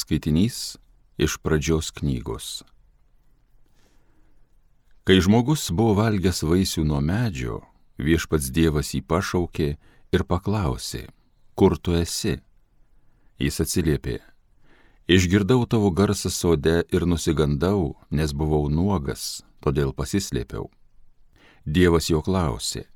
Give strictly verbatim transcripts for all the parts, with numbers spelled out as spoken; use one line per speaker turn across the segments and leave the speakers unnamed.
Skaitinys iš Pradžios knygos. Kai žmogus buvo valgęs vaisių nuo medžio, Viešpats Dievas jį pašaukė ir paklausė, kur tu esi? Jis atsiliepė, išgirdau tavo garsą sode ir nusigandau, nes buvau nuogas, todėl pasislėpiau. Dievas jo klausė,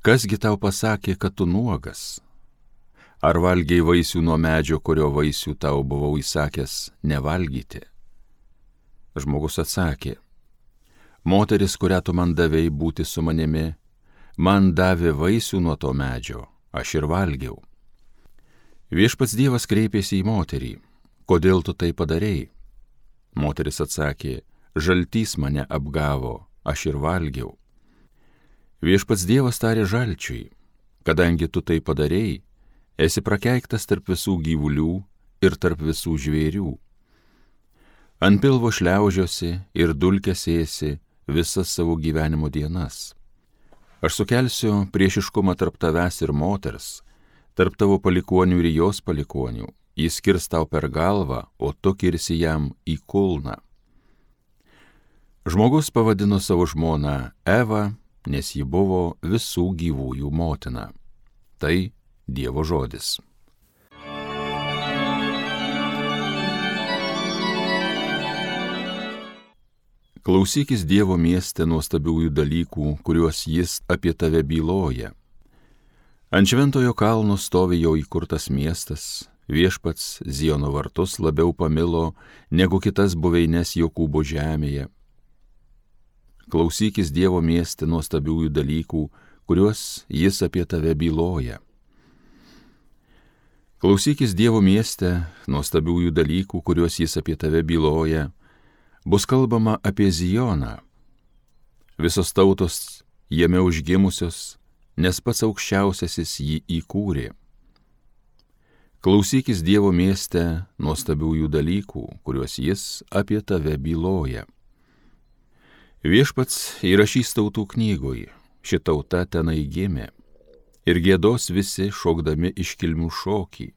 kasgi tau pasakė, kad tu nuogas? Ar valgiai vaisių nuo medžio, kurio vaisių tau buvau įsakęs nevalgyti? Žmogus atsakė, moteris, kurią tu man davei būti su manimi, man davė vaisių nuo to medžio, aš ir valgiau. Viešpats Dievas kreipėsi į moterį, kodėl tu tai padarei? Moteris atsakė, žaltys mane apgavo, aš ir valgiau. Viešpats Dievas tarė žalčiui, kadangi tu tai padarei, esi prakeiktas tarp visų gyvulių ir tarp visų žvėrių. Ant pilvo šliaužiosi ir dulkes ėsi visas savo gyvenimo dienas. Aš sukelsiu priešiškumą tarp tavęs ir moters, tarp tavo palikuonių ir jos palikuonių. Jis kirs tau per galvą, o tu kirsi jam į kulną. Žmogus pavadino savo žmoną Evą, nes ji buvo visų gyvųjų motina. Tai Dievo žodis. Klausykis Dievo mieste nuostabiųjų dalykų, kuriuos jis apie tave byloja. Ant šventojo kalno stovi jo įkurtas miestas, Viešpats Ziono vartus labiau pamilo negu kitas buveines Jokūbo žemėje. Klausykis Dievo mieste nuostabiųjų dalykų, kuriuos jis apie tave byloja. Klausykis Dievo mieste nuostabiųjų dalykų, kuriuos jis apie tave byloja. Bus kalbama apie Zioną. Visos tautos jame užgimusios, nes pats aukščiausiasis jį įkūrė. Klausykis Dievo mieste nuostabiųjų dalykų, kuriuos jis apie tave byloja. Viešpats įrašys tautų knygoj, ši tauta tenai gimė. Ir giedos visi šokdami iškilmių šokį,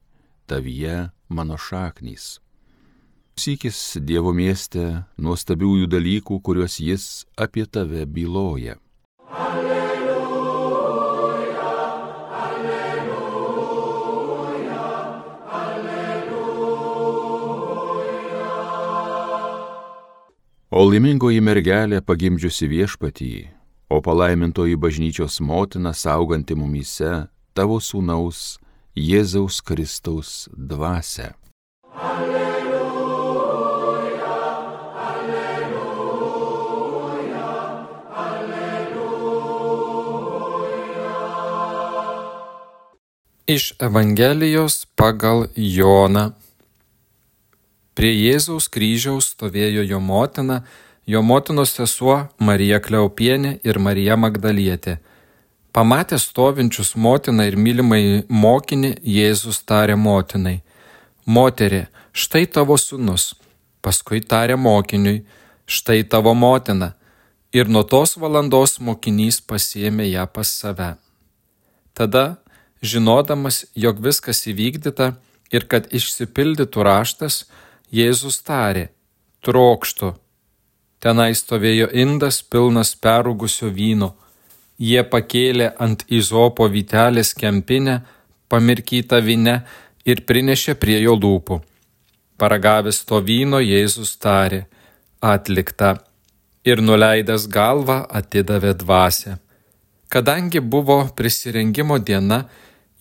tavyje mano šaknys. Klausykis Dievo mieste nuostabiųjų dalykų, kuriuos jis apie tave byloja. Alleluja, alleluja, alleluja. O laimingoji mergelė pagimdžiusi Viešpatį, o palaimintoji bažnyčios motina sauganti mumyse tavo sūnaus Jėzaus Kristaus dvasią. Alleluja, alleluja, alleluja.
Iš Evangelijos pagal Joną. Prie Jėzaus kryžiaus stovėjo jo motina, jo motinos sesuo Marija Kleopienė ir Marija Magdalietė. Pamatęs stovinčius motiną ir mylimai mokinį, Jėzus tarė motinai, moterie, štai tavo sūnus. Paskui tarė mokiniui, štai tavo motina. Ir nuo tos valandos mokinys pasiėmė ją pas save. Tada, žinodamas, jog viskas įvykdyta ir kad išsipildytų raštas, Jėzus tarė, trokštu. Tenai stovėjo indas pilnas perrūgusio vyno. Jie pakėlė ant izopo vytelės kempinę, pamirkytą vyne ir prinešė prie jo lūpų. Paragavęs to vyno, Jėzus tarė, atlikta, ir nuleidęs galvą atidavė dvasią. Kadangi buvo prisirengimo diena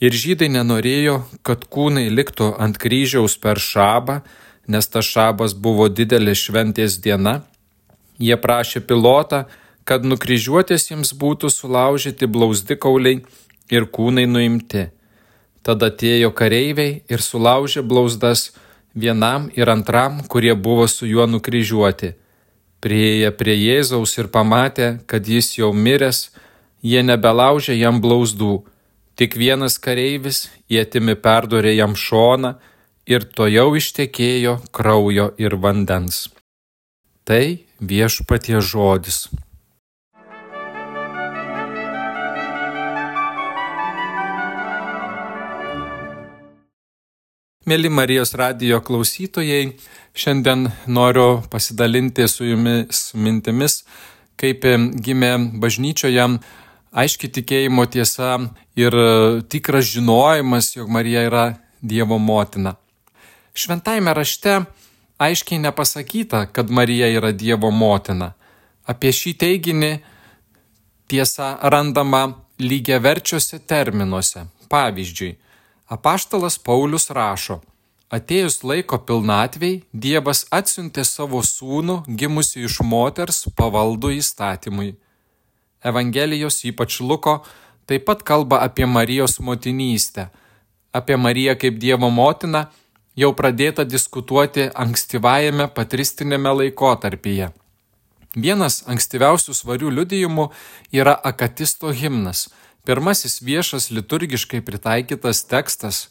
ir žydai nenorėjo, kad kūnai liktų ant kryžiaus per šabą, nes tas šabas buvo didelė šventės diena, jie prašė Pilotą, kad nukryžiuotiesiems būtų sulaužyti blauzdikauliai ir kūnai nuimti. Tada atėjo kareiviai ir sulaužė blauzdas vienam ir antram, kurie buvo su juo nukryžiuoti. Priėję prie Jėzaus ir pamatę, kad jis jau miręs, jie nebelaužė jam blauzdų. Tik vienas kareivis ietimi perdūrė jam šoną ir tojau ištekėjo kraujo ir vandens. Tai Viešpaties žodis. Mėly Marijos radijo klausytojai, šiandien noriu pasidalinti su jumis mintimis, kaip gimė bažnyčioje aiški tikėjimo tiesa ir tikras žinojimas, jog Marija yra Dievo motina. Šventajame rašte aiškiai nepasakyta, kad Marija yra Dievo motina. Apie šį teiginį tiesa randama lygiaverčiuose terminuose. Pavyzdžiui, apaštalas Paulius rašo: atėjus laiko pilnatvei, Dievas atsiuntė savo sūnų, gimusį iš moters, pavaldų įstatymui. Evangelijos, ypač Luko, taip pat kalba apie Marijos motinystę. Apie Mariją kaip Dievo motiną jau pradėta diskutuoti ankstyvajame patristinėme laikotarpyje. Vienas ankstyviausių svarių liudijimų yra akatisto himnas. Pirmasis viešas liturgiškai pritaikytas tekstas.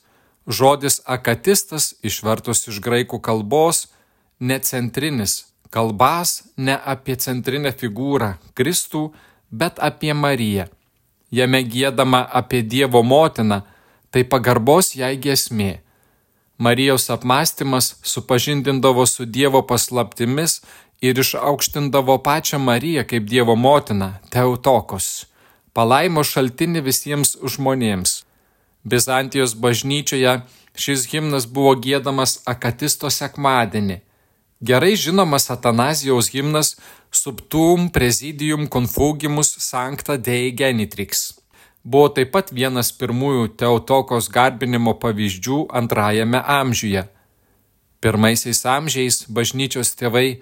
Žodis akatistas, išvertus iš graikų kalbos, necentrinis, kalbas ne apie centrinę figūrą Kristų, bet apie Mariją. Jame giedama apie Dievo motiną, tai pagarbos jai giesmė. Marijos apmąstymas supažindindavo su Dievo paslaptimis ir išaukštindavo pačią Mariją kaip Dievo motiną, Teotokos, palaimo šaltinį visiems žmonėms. Bizantijos bažnyčioje šis himnas buvo giedamas akatisto sekmadienį. Gerai žinomas Atanazijaus himnas Subtum Presidium Confugimus Sancta Dei Genitrix buvo taip pat vienas pirmųjų Teotokos garbinimo pavyzdžių antrajame amžiuje. Pirmaisiais amžiais bažnyčios tėvai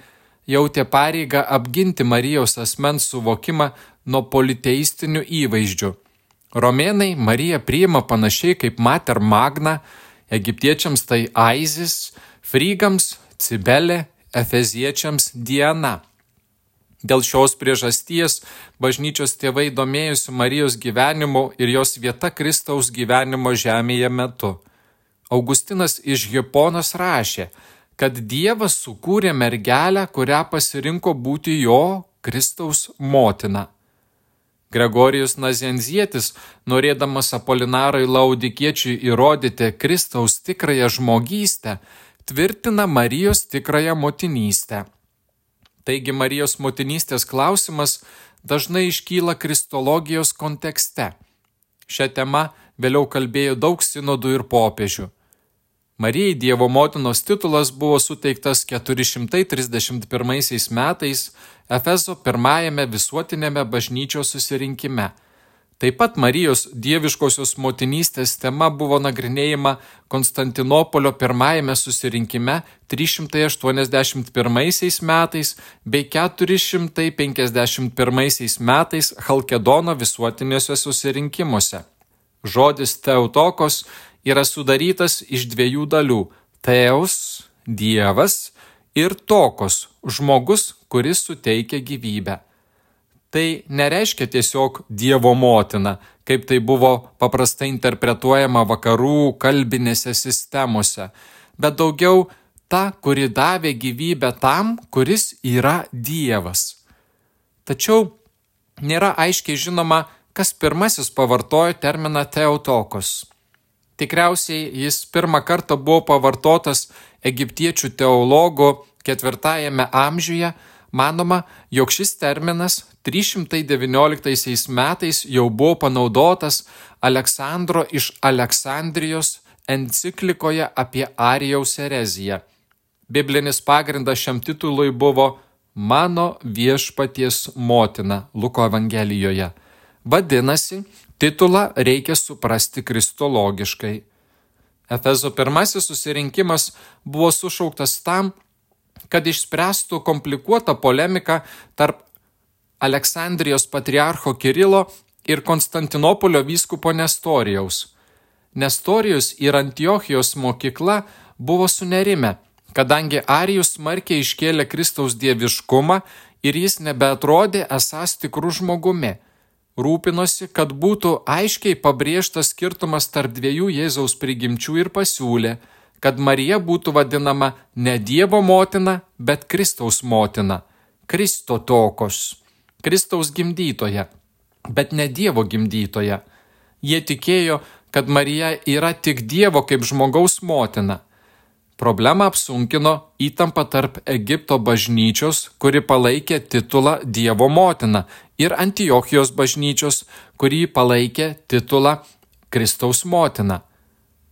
jautė pareigą apginti Marijos asmens suvokimą nuo politeistinių įvaizdžių. Romėnai Mariją priima panašiai kaip Mater Magna, egiptiečiams tai Aizis, frygams Cibelė, efeziečiams Diana. Dėl šios priežasties bažnyčios tėvai domėjosi Marijos gyvenimu ir jos vieta Kristaus gyvenimo žemėje metu. Augustinas iš Hiponos rašė, kad Dievas sukūrė mergelę, kurią pasirinko būti jo, Kristaus motina. Gregorijus Nazenzietis, norėdamas Apolinarui Laudikiečiui įrodyti Kristaus tikrąją žmogystę, tvirtina Marijos tikrąją motinystę. Taigi Marijos motinystės klausimas dažnai iškyla kristologijos kontekste. Šią temą vėliau kalbėjo daug sinodų ir popiežių. Marijai Dievo motinos titulas buvo suteiktas keturi šimtai trisdešimt pirmaisiais metais Efezo pirmajame visuotinėme bažnyčios susirinkime. Taip pat Marijos dieviškosios motinystės tema buvo nagrinėjama Konstantinopolio pirmajame susirinkime trys šimtai aštuoniasdešimt pirmaisiais metais bei keturi šimtai penkiasdešimt pirmaisiais metais Chalkedono visuotiniuose susirinkimuose. Žodis Teotokos yra sudarytas iš dviejų dalių – Teos, Dievas, ir Tokos, žmogus, kuris suteikia gyvybę. Tai nereiškia tiesiog Dievo motina, kaip tai buvo paprastai interpretuojama vakarų kalbinėse sistemose, bet daugiau ta, kuri davė gyvybę tam, kuris yra Dievas. Tačiau nėra aiškiai žinoma, kas pirmasis pavartojo terminą Teotokos. Tikriausiai jis pirmą kartą buvo pavartotas egiptiečių teologų ketvirtajame amžiuje. Manoma, jog šis terminas trys šimtai devynioliktaisiais metais jau buvo panaudotas Aleksandro iš Aleksandrijos enciklikoje apie Arijaus ereziją. Biblinis pagrindas šiam titului buvo Mano viešpaties motina Luko Evangelijoje. Vadinasi, titulą reikia suprasti kristologiškai. Efezo pirmasis susirinkimas buvo sušauktas tam, kad išspręstų komplikuotą polemiką tarp Aleksandrijos patriarcho Kirilo ir Konstantinopolio vyskupo Nestorijaus. Nestorijus ir Antiochijos mokykla buvo sunerime, kadangi Arijus smarkiai iškėlė Kristaus dieviškumą ir jis nebeatrodė esąs tikrų žmogumi. Rūpinosi, kad būtų aiškiai pabrėžtas skirtumas tarp dviejų Jėzaus prigimčių ir pasiūlė, kad Marija būtų vadinama ne Dievo motina, bet Kristaus motina, Kristotokos, Kristaus gimdytoja, bet ne Dievo gimdytoja. Jie tikėjo, kad Marija yra tik Dievo kaip žmogaus motina. Problemą apsunkino įtampa tarp Egipto bažnyčios, kuri palaikė titulą Dievo motina, ir Antiochijos bažnyčios, kuri palaikė titulą Kristaus motina.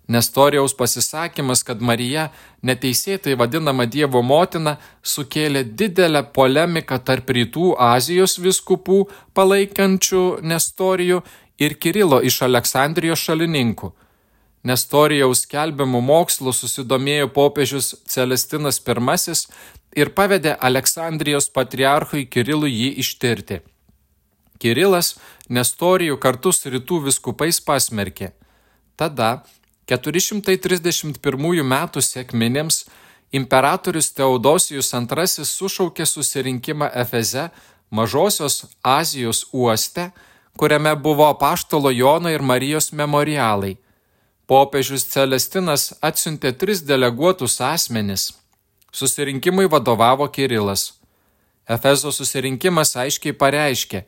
Nestorijaus pasisakymas, kad Marija neteisėtai vadinama Dievo motina, sukėlė didelę polemiką tarp Rytų Azijos vyskupų palaikančių Nestorijų ir Kirilo iš Aleksandrijos šalininkų. Nestorijaus skelbiamų mokslų susidomėjo popiežius Celestinas pirmasis ir pavedė Aleksandrijos patriarchui Kirilui jį ištirti. Kirilas Nestorijų kartu su Rytų vyskupais pasmerkė. Tada keturi šimtai trisdešimt pirmųjų metų sekminėms imperatorius Teodosijus antrasis sušaukė susirinkimą Efeze, Mažosios Azijos uoste, kuriame buvo apaštalo Jono ir Marijos memorialai. Popiežius Celestinas atsiuntė tris deleguotus asmenis. Susirinkimui vadovavo Kirilas. Efezo susirinkimas aiškiai pareiškė: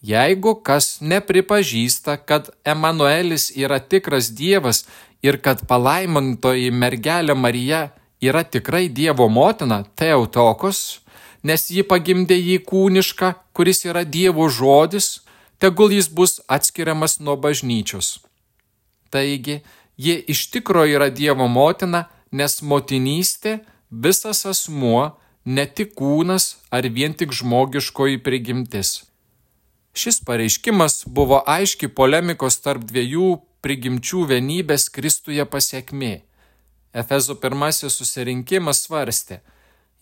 jeigu kas nepripažįsta, kad Emanuelis yra tikras Dievas ir kad palaimintoji mergelė Marija yra tikrai Dievo motina, Theotokos, nes ji pagimdė jį kūnišką, kuris yra Dievo žodis, tegul jis bus atskiriamas nuo bažnyčios. Taigi, ji iš tikro yra Dievo motina, nes motinystė visas asmuo, ne tik kūnas ar vien tik žmogiškoji prigimtis. Šis pareiškimas buvo aiški polemikos tarp dviejų prigimčių vienybės Kristuje pasiekmė. Efezo pirmasis susirinkimas svarstė: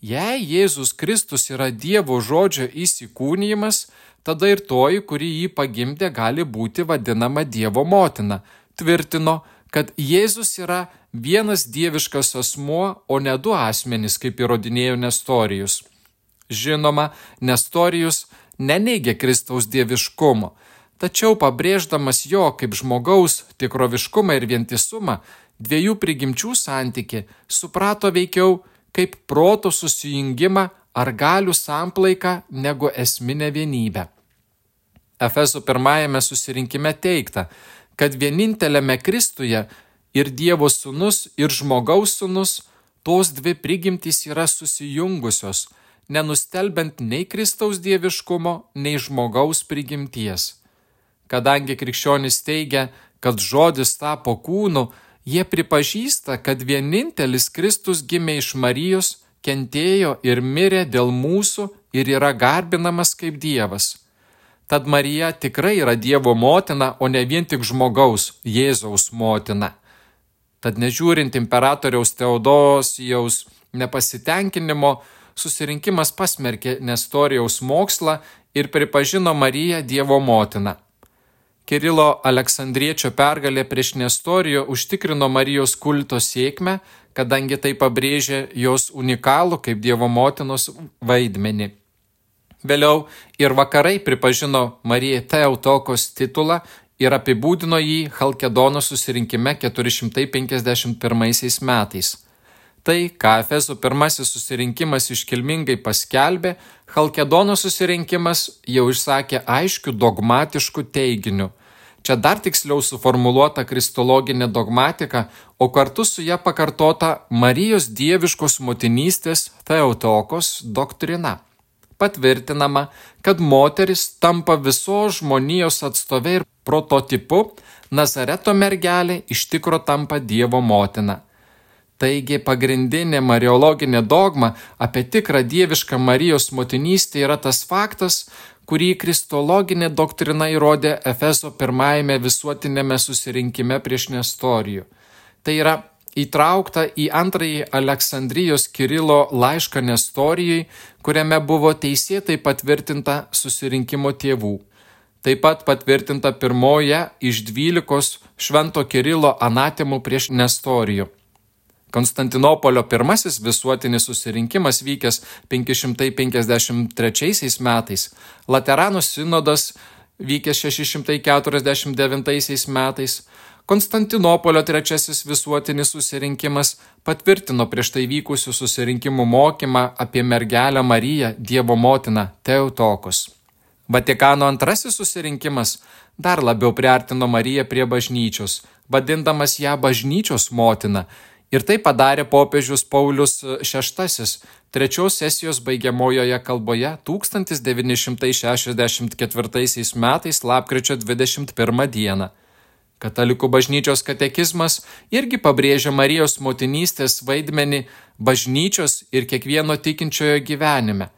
jei Jėzus Kristus yra Dievo žodžio įsikūnijimas, tada ir toji, kuri jį pagimdė, gali būti vadinama Dievo motina. Tvirtino, kad Jėzus yra vienas dieviškas asmuo, o ne du asmenys, kaip įrodinėjo Nestorijus. Žinoma, Nestorijus neneigė Kristaus dieviškumo, tačiau pabrėždamas jo kaip žmogaus tikroviškumą ir vientisumą, dviejų prigimčių santykį suprato veikiau kaip proto susijungimą ar galių samplaiką negu esminę vienybę. Efezo pirmajame susirinkime teigta, kad vieninteliame Kristuje ir Dievo sūnus, ir žmogaus sūnus, tos dvi prigimtys yra susijungusios, nenustelbiant nei Kristaus dieviškumo, nei žmogaus prigimties. Kadangi krikščionys teigia, kad žodis tapo kūnu, jie pripažįsta, kad vienintelis Kristus gimė iš Marijos, kentėjo ir mirė dėl mūsų ir yra garbinamas kaip Dievas. Tad Marija tikrai yra Dievo motina, o ne vien tik žmogaus, Jėzaus motina. Tad nežiūrint imperatoriaus Teodosijaus nepasitenkinimo, susirinkimas pasmerkė Nestorijaus mokslą ir pripažino Mariją Dievo motina. Kirilo Aleksandriečio pergalė prieš Nestorijų užtikrino Marijos kulto sėkmę, kadangi tai pabrėžė jos unikalų kaip Dievo motinos vaidmenį. Vėliau ir vakarai pripažino Marijai Theotokos titulą ir apibūdino jį Chalkedono susirinkime keturi šimtai penkiasdešimt pirmaisiais metais. Tai, ką Efezo pirmasis susirinkimas iškilmingai paskelbė, Chalkedono susirinkimas jau išsakė aiškių dogmatiškų teiginių. Čia dar tiksliau suformuluota kristologinė dogmatika, o kartu su ja pakartota Marijos dieviškos motinystės Theotokos doktrina. Patvirtinama, kad moteris tampa visos žmonijos atstovė ir prototipu, Nazareto mergelė iš tikro tampa Dievo motina. Taigi pagrindinė mariologinė dogma apie tikrą dievišką Marijos motinystę yra tas faktas, kurį kristologinė doktrina įrodė Efezo pirmajame visuotinėme susirinkime prieš Nestorijų. Tai yra įtraukta į antrąjį Aleksandrijos Kirilo laišką Nestorijui, kuriame buvo teisėtai patvirtinta susirinkimo tėvų. Taip pat patvirtinta pirmoje iš dvylikos švento Kirilo anatemų prieš Nestorijų. Konstantinopolio pirmasis visuotinis susirinkimas vykęs penki šimtai penkiasdešimt trečiaisiais metais, Lateranų sinodas vykęs šeši šimtai keturiasdešimt devintaisiais metais, Konstantinopolio trečiasis visuotinis susirinkimas patvirtino prieš tai vykusių susirinkimų mokymą apie mergelę Mariją, Dievo motiną, Theotokos. Vatikano antrasis susirinkimas dar labiau priartino Mariją prie bažnyčios, vadindamas ją bažnyčios motina, ir tai padarė popiežius Paulius šeštasis trečios sesijos baigiamojoje kalboje tūkstantis devyni šimtai šešiasdešimt ketvirtaisiais metais lapkričio dvidešimt pirmą dieną. Katalikų bažnyčios katekizmas irgi pabrėžia Marijos motinystės vaidmenį bažnyčios ir kiekvieno tikinčiojo gyvenime.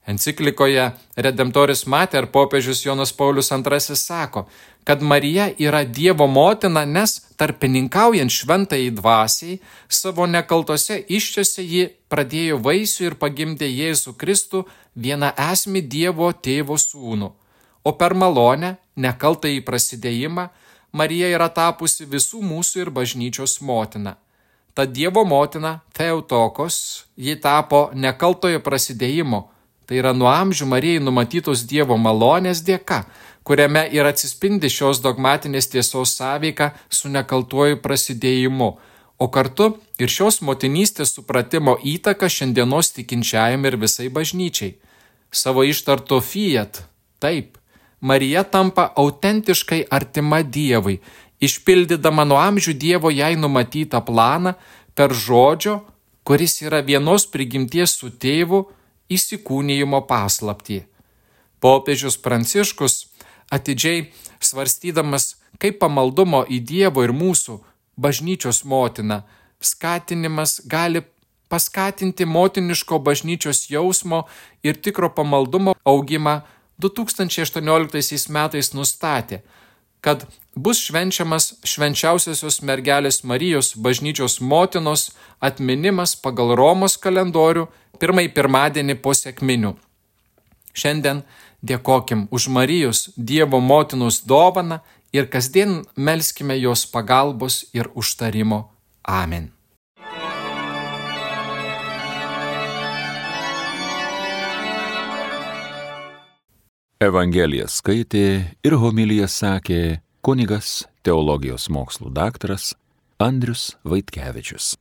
Enciklikoje Redemptoris Mater popiežius Jonas Paulius antrasis sako, kad Marija yra Dievo motina, nes tarpininkaujant šventajai dvasiai, savo nekaltose iščiose ji pradėjo vaisių ir pagimdė Jėzų Kristų vieną esmį Dievo tėvo sūnų. O per malonę, nekaltąjį prasidėjimą, Marija yra tapusi visų mūsų ir bažnyčios motina. Ta Dievo motina, Theotokos, ji tapo nekaltojo prasidėjimo, tai yra nuo amžių Marijai numatytos Dievo malonės dėka, kuriame ir atsispindi šios dogmatinės tiesos sąveika su nekaltuoju prasidėjimu, o kartu ir šios motinystės supratimo įtaka šiandienos tikinčiajam ir visai bažnyčiai. Savo ištarto fiat, taip, Marija tampa autentiškai artima Dievui, išpildydama nuo amžių Dievo jai numatytą planą per žodžio, kuris yra vienos prigimties su tėvu, įsikūnijimo paslaptį. Popiežius Pranciškus, atidžiai svarstydamas, kaip pamaldumo į Dievo ir mūsų bažnyčios motiną skatinimas gali paskatinti motiniško bažnyčios jausmo ir tikro pamaldumo augimą, du tūkstančiai aštuonioliktaisiais metais nustatė, kad bus švenčiamas švenčiausiosios mergelės Marijos bažnyčios motinos atminimas pagal Romos kalendorių pirmąjį pirmadienį po sekminių. Šiandien dėkokim už Marijos Dievo motinos dovaną ir kasdien melskime jos pagalbos ir užtarimo. Amen.
Evangeliją skaitė ir homiliją sakė kunigas teologijos mokslų daktaras Andrius Vaitkevičius.